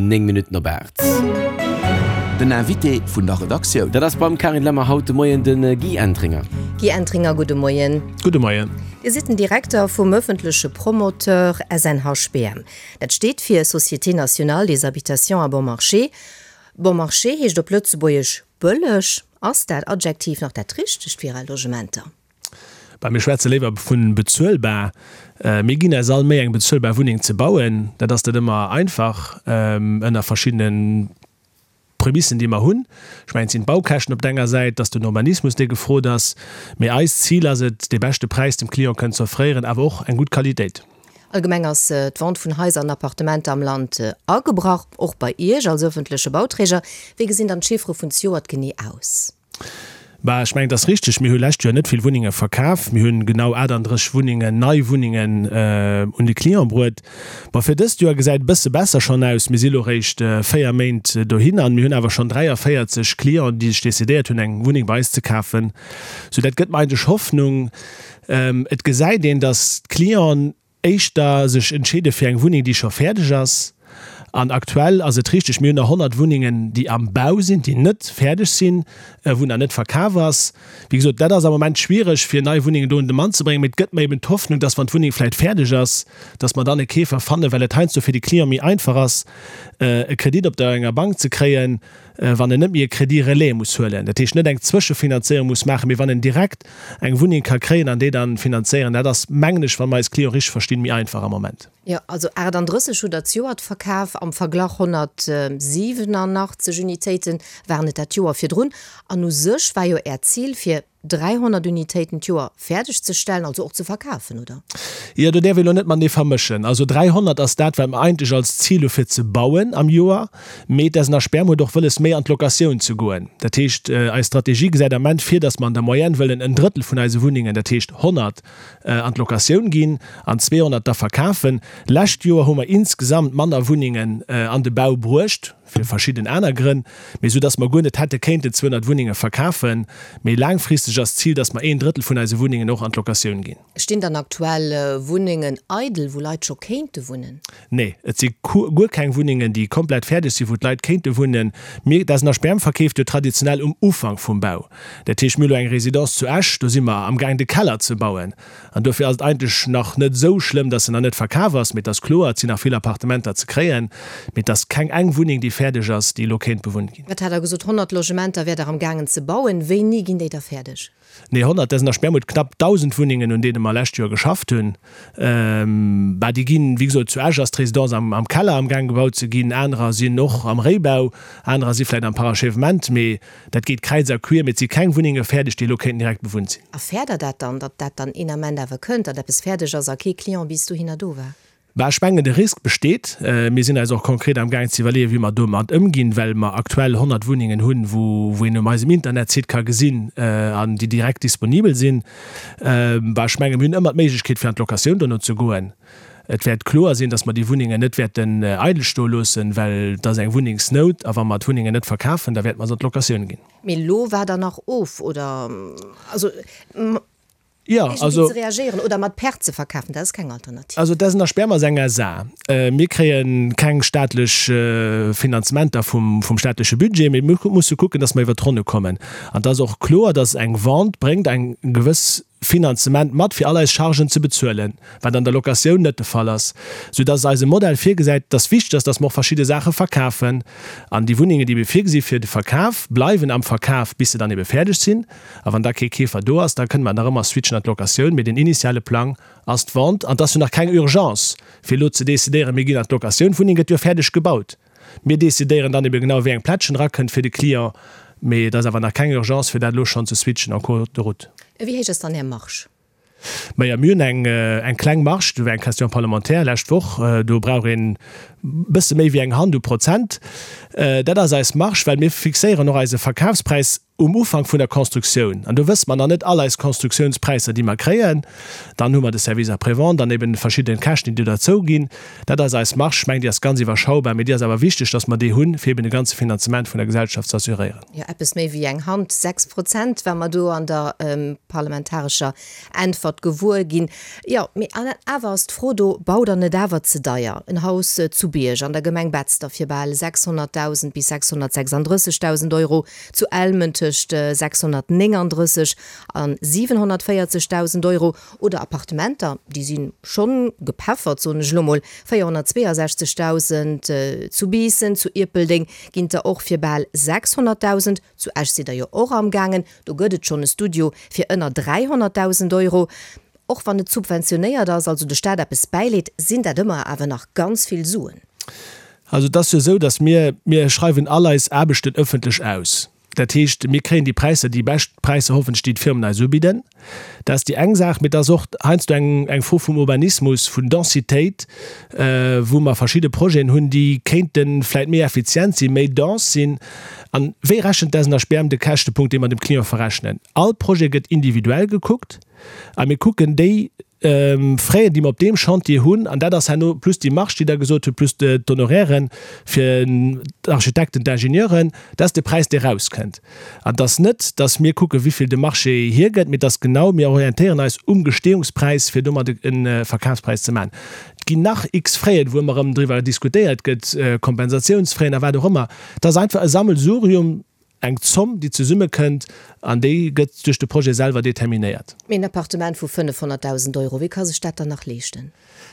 9 Minutten op 8. Den Invité vun der Redaktioun. Dat ass beim Carine Lemmer haut de Moien de Guy Entringer. Guy Entringer, gudde Moien. Gudde Moien. Dir sidd den Direkter vum ëffentleche Promoteur SNHBM. Dat steet fir Société Nationale des Habitations à Bon Marché. Bon marché heescht op Lëtzebuergesch bëlleg. Ass dat Adjektiv nach dat richtegt fir Är Logementer? Bah, mir schwätze léiwer vu bezuelbar. Mir ginn eis all Méi, eng bezuelbar Wunneng ze bauen. Dat ass net ëmmer einfach ënner verschiddene Prämissen, déi mer hunn. Ech mengen, et sinn d'Baukäschten op der enger Säit, et ass den Urbanismus, dee gefrot ass. Mee eist Zil ass et, dee beschte Präis dem Client kënnen ze offréieren, awer och eng gutt Qualitéit. Allgemeng ass d'Vente vun Haiser an Appartementer am Land agebrach, och bei Iech als ëffentleche Bauträger. Wéi gesinn dann d'Chiffere vun zejoert genee aus? Bah, ech mengen, et ass richteg, mir hu lescht Joer net vill Wunnenge verkaf. Mir hunn genau 38 Wunnengen, nei Wunnengen un de Client bruet. Bon, fir dëst Joer gesäit e bësse besser schonn aus. Mir si lo réischt 4 Méint dohin an mir hunn awer schonn 43 Clienten, déi sech decidéiert hunn, eng Wunneng bei eis ze kafen. Sou, dat gëtt mer eigentlech Hoffnung. Et gesäit een, datt d'Clienten éischter sech entscheede fir eng Wunneng, déi scho fäerdeg ass. An aktuell ass et richteg, mir hunn nach 100 Wunnengen, déi am Bau sinn, déi net fäerdeg sinn, wou nach net verkaf ass. Wéi gesot, dat ass am Moment schwiereg, fir nei Wunnengen do un de Mann ze bréngen. Mee et gëtt mer eben d'Hoffnung, dass, wann d'Wunneng vläicht fäerdeg ass, dass mer dann e Keefer fannen, well et heiansdo fir de Client méi einfach ass, e Kredit op der enger Bank ze kréien, wann en net méi e Crédit relais muss huelen, dat heescht net eng Zwëschefinanzéierung muss maachen, mee wann en direkt eng Wunneng ka kréien an déi dann finanzéieren. Dat ass, mengen ech, wa mer eis Clienten richteg verstinn, méi einfach am Moment. Jo, also 38 hutt Der zejoert verkaf, am Verglach 187 Unitéite waren et dat Joer virdrun. An u sech war jo Äert Zil, fir 300 Unitéiten d'Joer fäerdeg ze stellen, also och ze verkafen, oder? Jo, do däerf ee lo net matenee vermëschen. Also 300 ass dat, wat mer eigentlech als Zil hu fir ze bauen am Joer. Mee d'SNHBM huet och wëlles, méi an d'Locatioun ze goen. Dat heescht, eis Strategie gesäit am Ament vir, datt mer an der Moyenne wëllen en Drëttel vun eise Wunnengen, dat heescht 100, an d'Locatioun ginn an 200 da verkafen. Lescht Joer hu mer insgesamt manner Wunnengen an de Bau bruecht. fir verschidden aner Grënn, mee esou dass mer guer net hätte kéinten 200 Wunnenge verkafen. Mee laangfristeg ass d'Zil, dass mer een Drëttel vun eise Wunnengen och an d'Locatioun ginn. Stinn dann aktuell Wunnengen eidel, wou Leit scho kéinte wunnen? Nee, et si guer keng Wunnengen, déi komplett fäerdeg sinn, wou d'Leit kéinte wunnen. Mir, d'SNHBM verkeeft jo traditionell um Ufank vum Bau. Dat heescht, mir hu lo eng Résidence zu Esch, do si mer amgaang de Keller ze bauen. An dofir ass et eigentlech nach net esou schlëmm, dass se nach net verkaf ass. Mee et ass kloer, et sinn nach vill Appartementer ze kréien. Mee et ass keng eng Wunneng, déi fäerdeg ass, déi elo kéint bewunnt ginn. Wat hat Der gesot? 100 Logementer wäert Der am gaangen ze bauen. Wéini ginn déi da fäerdeg? Nee, 100, dat sinn der Sperrmut knapp 1.000 Wunnengen, un deene mer lescht Joer geschafft hunn. Bah, déi ginn, wéi gesot, zu Esch ass d'Résidence am Keller am gaang gebaut ze ginn, anerer sinn och am Réibau, anerer si vläicht am Parachèvement. Mee Dat geet kräiz a quier, mee et si keng Wunnenge fäerdeg, déi elo kéinten direkt bewunnt sinn. A fäert Der dat dann, datt dat dann een Ament awer kënnt, datt eppes fäerdeg ass a kee Client bis dohinner do war? Bah, ech mengen, de Risk besteet. Mir sinn eis och konkret amgaang ze iwwerleeën, wéi mer domat ëmginn, well mer aktuell 100 Wunnengen hunn, wou wou een um eisem Internetsite ka gesinn an déi direkt disponibel sinn. Bah, ech mengen, mir hunn ëmmer d'Méiglechkeet, fir an d'Locatioun dono ze goen. Et wäert kloer sinn, dass mer déi Wunnengen net wäerten eidel stoe loossen, well et ass eng Wunnengsnout. A wa mer d'Wunnengen net verkafen, da wäerte mer se an d'Locatioun ginn. Mee elo waart Der nach of, oder? Also iergendwéi ze reagéieren oder mat Perte ze verkafen, dat ass keng Alternativ. Also dat ass nach Sperm ass eng SA. Mir kréie keng staatlech Finanzementer vum staatleche Budget, mee mir musse kucken, dass mer iwwert d'Ronne kommen. An et ass och kloer, dass eng Vente bréngt eng gewëss Finanzement mat, fir all eis Chargen ze bezuelen, wat an der Locatioun net de Fall ass, soudass eise Modell virgesäit, dass wichteg ass, dass mer och verschidde Saache verkafen. An déi Wunnengen, déi mir virgesi fir de Verkaf, bleiwen am Verkaf, bis se dann ebe fäerdeg sinn. A wann da kee Keefer do ass, da kënne mer nach ëmmer switchen an d'Locatioun. Mee den initiale Plang ass d'Vente. An et ass jo nach keng Urgence, fir elo ze decidéieren, mir ginn an d'Locatioun. D'Wunneng gëtt jo fäerdeg gebaut. Mir decidéieren dann ebe genau, wéi eng Plättchen erakënnt fir de Client, mee et ass awer nach keng Urgence, fir dat elo schonn ze switchen en cours de route. Wéi héich ass dann Är Marge? Majo, mir hunn eng eng kleng Marge. Do war eng Question parlementaire lescht Woch. Do brauch een e bësse méi wéi eng Hand u Prozent. Dat ass eis Marge, well mir fixéieren och eise Verkafspräis. um Ufank vun der Constructioun, an do wësse mer nach net all eis Constructiounspräisser, déi mer kréien, dann hu mer de Service après-vente an eben verschidden Käschten, déi do derzou ginn. Dat ass eis Marge. Ech mengen, déi ass ganz iwwerschaubar, mee déi ass awer wichteg, dass mer déi hunn, fir eben de ganze Finanzement vun der Gesellschaft ze assuréieren. Jo, eppes méi wéi eng Hand, 6 Prozent, war mer do an der parlamentarescher Äntwert gewuer ginn. Jo, mee awer ass d'Fro do, Baut Der net awer ze deier? En Haus zu Bierg an der Gemeng Betzder fir bal 600.000 bis 636.000 Euro, zu Elmen tëscht 639 a 740.000 Euro oder Appartementer, déi si schonn gepeffert, soen ech elo mol, 462.000 zu Biissen, zu Ierpeldeng ginn der och fir bal 600.000, zu Esch sidd der jo och amgaangen, Do gëtt et schonn e Studio fir ënner 300.000 Euro. Och wann et subventionéiert ass, also de Staat eppes bäileet, sinn dat ëmmer awer nach ganz vill Suen. Also et ass jo esou, datt mir, mir schreiwen all eis Aarbechten ëffentlech aus. Dat heescht, mir kréien déi Präisser, déi bescht Präisser hoffentlech, déi d'Firmen eis ubidden. Dat ass déi eng Saach. Mee et ass och heiansdo eng, eng Fro vum Urbanismus, vun Densitéit, wou mer verschidde Projeten hunn, déi kéinte vläicht méi effizient sinn, méi dense sinn. An wéi rechent d'SNHBM de Käschtepunkt, dee mer dem Client verrechnen? All Projet gëtt individuell gekuckt a mir kucken déi Fräen, déi mer op deem Chantier hunn, an dat ass herno plus déi Marge, déi Der gesot hutt, plus d'Honorairen fir d'Architekten, d'Ingenieuren, dat ass de Präis, dee erauskënnt. An et ass net, datt mir kucken, wéi vill de Marché hiergëtt, mee et ass genau, mir orientéieren eis um Gestehungspräis, fir domat e Verkafspräis ze maachen. Et ginn nach x Fräen, wou ëmmer erëm driwwer diskutéiert gëtt, Kompensatiounsfräen a wat och ëmmer. Et ass einfach e Sammelsurium, eng Zomm, déi zesummekënnt, an déi gëtt duerch de Projet selwer determinéiert. Mee en Appartement vu 500.000 Euro, wie ka sech dat dann nach leeschten?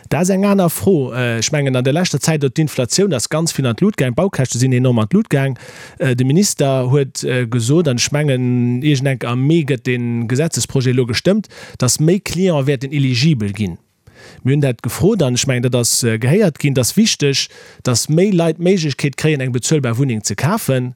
Dat ass eng aner Fro. Ech mengen, an der leschter Zäit, och d'Inflatioun ass ganz vill an d'Lut gaang, d'Baukäschte sinn enorm an d'Lut gaang. De Minister huet gesot, an ech mengen, iergendenk am Mee gëtt dee Gesetzesprojet elo gestëmmt, datt méi Cliente wäerten eligibel ginn. Mir hunn dat gefrot an ech mengen, dat ass gehéiert ginn. Et ass wichteg, dass méi Leit d'Méiglechkeet kréien, eng bezuelbar Wunneng ze kafen.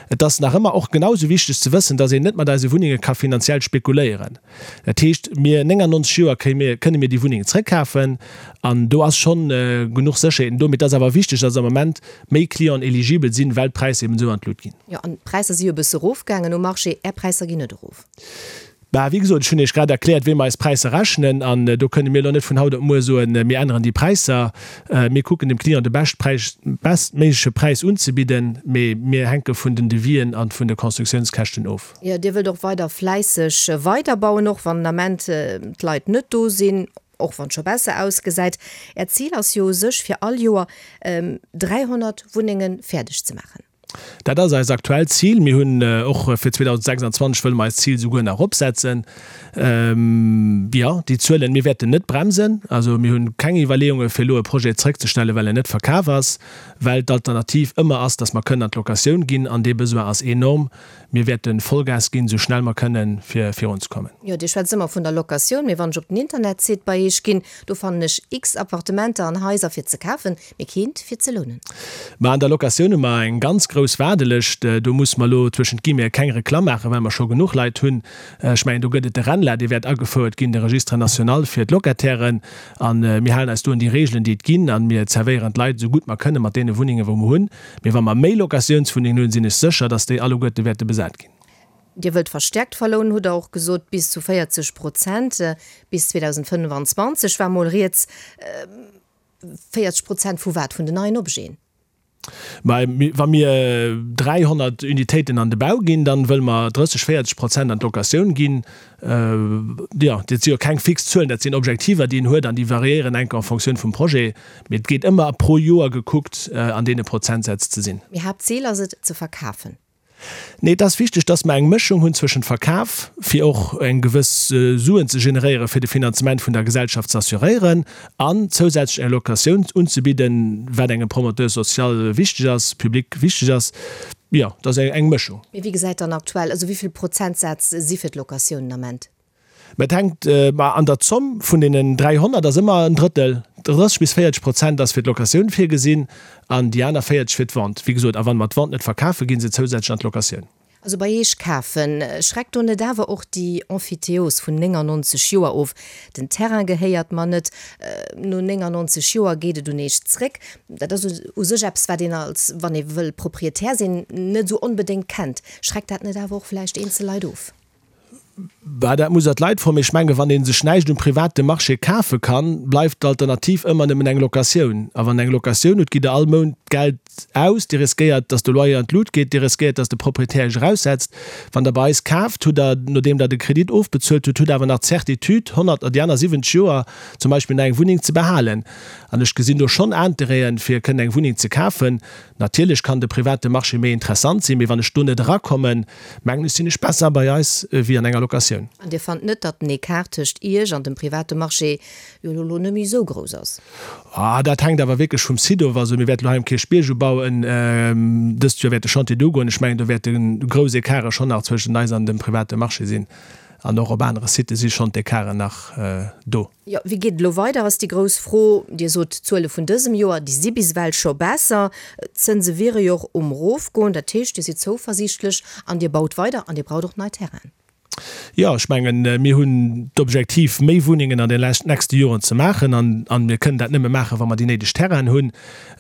Et ass nach ëmmer och genau esou wichteg ze wëssen, dass een net mat eise Wunnenge ka finanziell spekuléieren. Dat heescht, mir 99 Joer kréie mir, kënne mir déi Wunneng zrëckkafen an do ass schonn genuch Sécherheeten do. Mee et ass awer wichteg, dass am Moment méi Clienten eligibel sinn, well d'Präisser eben esou an d'Lut ginn. Jo, an d'Präisser si jo e bësse erofgaangen um Marché. Är Präisser ginn net erof. Bah, wéi gesot, ech hunn Iech grad erkläert, wéi mer eis Präisser rechnen. An do kënne mir elo net vun haut op muer soen, mir änneren déi Präisser. Mir kucken dem Client de beschtpräis, bestméigleche Präis unzebidden, mee mir hänke vun den Devis'en a vun de Constructiounskäschten of. Jo, Dir wëllt och weider fläisseg weiderbauen, och wann den Ament d'Leit net do sinn, och wann et scho besser ausgesäit. Äert Zil ass jo u sech, fir all Joer 300 Wunnenge fäerdeg ze maachen. Dat ass eist aktuellt Zil. Mir hunn och fir 2026 wëlle mer eist Zil souguer nach eropsetzen. Jo, déi Zuelen, mir wäerten net bremsen. Also mir hunn keng Iwwerleeunge fir elo e Projet zrëckzestellen, well en net verkaf ass, well d'Alternativ ëmmer ass, datt mer kënnen an d'Locatioun ginn an dee Besoin ass enorm. Mir wäerte Vollgas ginn, esou schnell mer kënnen, fir virunzekommen. Jo, Dir schwätzt ëmmer vun der Locatioun, mee wann ech op den Internetsite bei Iech ginn, do fannen ech x Appartementer an Haiser fir ze kafen, mee keent fir ze lounen. Mä an der Locatioun hu mer eng ganz grouss Waardelëscht. Do musse mer elo zwëschent Guillemeten keng Reklamm maachen, well mer scho genuch Leit hunn. Ech mengen, do gëtt et de RENLA, dee wäert agefouert ginn, de Registre national fir d'Locatairen. A mir halen eis do un déi Regeln, déi et ginn, a mir zerwéieren d'Leit esou gutt mer kënnen mat deene Wunnengen, wou mer hunn. Mee wa mer méi Locatiounswunnengen hunn, sinn ech sécher, dass déi alleguerte wäerte besat ginn. Dir wëllt verstärkt verlounen, hutt Der och gesot, bis zu 40 Prozent bis 2025 war mol rieds. 40 Prozent vu wat? Vun den neien Objeten? Mä wa mir 300 Unitéiten an de Bau ginn, dann wëlle mer 30, 40 Prozent an d'Locatioun ginn. Jo, dat si jo keng fix Zuelen, dat sinn Objektiver, déi een huet an déi variéieren enk en Fonctioun vum Projet. Mee et geet ëmmer pro Joer gekuckt, an deene Prozentsätz ze sinn. Mee Haaptzil ass et, ze verkafen. Nee, et ass wichteg, dass mer eng Mëschung hunn zwëschent Verkaf, fir och eng gewëss Suen ze generéieren, fir de Finanzement vun der Gesellschaft ze assuréieren, an zousätzlech eng Locatioun unzebidden, wat engem Promoteur social wichteg ass, public wichteg ass. Jo, et ass eng Mëschung. Mee wéi gesäit dann aktuell, also wéi vill Prozentsätz si fir d'Locatioun den Ament? Mä et hänkt, ma an der Zomm vun deenen 300 ass ëmmer en Drëttel, 30 bis 40 Prozent ass fir d'Locatioun virgesinn an déi aner 40 fir d'Vente. Wéi gesot, a wann mer d'Vente net verkafen, gi se zousätzlech an d'Locatioun. Also bei Eech kafen, schreckt do net awer och déi Emphytéose vun 99 Joer of? Den Terrain gehéiert mer net, no 99 Joer geet et un Eech zréck. Dat ass u sech eppes, wat een als, wann ee wëll Proprietär sinn, net esou onbedéngt kennt. Schreckt dat net awer och vläicht eenzel Leit of? Bah, dat muss Der d'Leit froen. Mee ech menge wann ee sech näischt um private Marché kafe kann, bleift d'Alternativ ëmmer nëmmen eng Locatioun. A wann Der eng Locatioun hutt, gitt Der all Mount Geld aus. Dir riskéiert, datt de Loyer an d'Lut geet. Dir riskéiert, datt de Proprietär Iech eraussetzt. Wann Der bei eis kaaft, hutt Der, nodeem Der de Kredit ofbezuelt hutt, hutt Der awer nach d'Certitude, 100 oder déi aner 70 Joer zum Beispill nach eng Wunneng ze behalen. An ech gesinn do schonn Interêten, fir kënnen eng Wunneng ze kafen. Natierlech kann de private Marché méi interessant sinn, mee wann ech do net erakommen, mengen ech, sinn ech besser bei eis wéi an enger Locatioun. An Dir fannt net, datt den Ecart tëscht Iech an dem private Marché jo elo net méi esou grouss ass? Ah, dat hänkt awer wierklech vum Site of. Also mir wäerten elo hei um Kierchbierg ubauen. Dëst Joer wäert de Chantier do goen. Ech mengen, do wäerte grouss Ecarte schonn nach zwëschent eis an dem private Marché sinn. An och op anere Sitë si schonn d'Ecarten nach do. Jo, wéi geet et elo weider, ass déi grouss Fro. Dir sot, d'Zuele vun dësem Joer, déi si bis ewell scho besser. D'Zënse wiere jo och um Erofgoen. Dat heescht, Dir sidd zouversiichtlech an Dir baut weider an Dir braucht och nei Terrainen. Jo, ech mengen, mir hunn d'Objektiv, méi Wunnengen an den nächste Joren ze maachen. An mir kënnen dat nëmme maachen, wa mer déi néideg Terrainen hunn.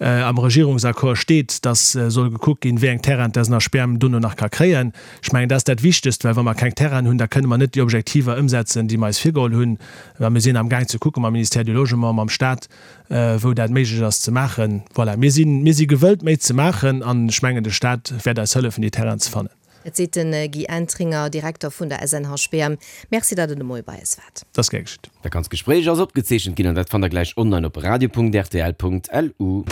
Am Regierungsaccord steet, dass soll gekuckt ginn, wéi eng Terrainen d'SNHBM dono nach ka kréien. Ech mengen, dat ass dat Wichtegst, well wa mer keng Terrainen hunn, da kënne mer net déi Objektiver ëmsetzen, déi mer eis virgeholl hunn. Mä mir sinn amgaang ze kucken mam Ministère du Logement, mam Stat, wou dat méiglech ass ze maachen. Voilà, mir sinn, mir si gewëllt, méi ze maachen an ech mengen, de Stat wäert eis hëllefen, déi Terrainen ze fannen. Dat seet de Guy Entringer, Direkter vun der SNHBM. Merci, datt Der de Moie bei eis waart. Dat ass gär geschitt. Dat ganzt Gespréich ass opgezeechent ginn an dat fannt der gläich online op radio.rtl.lu.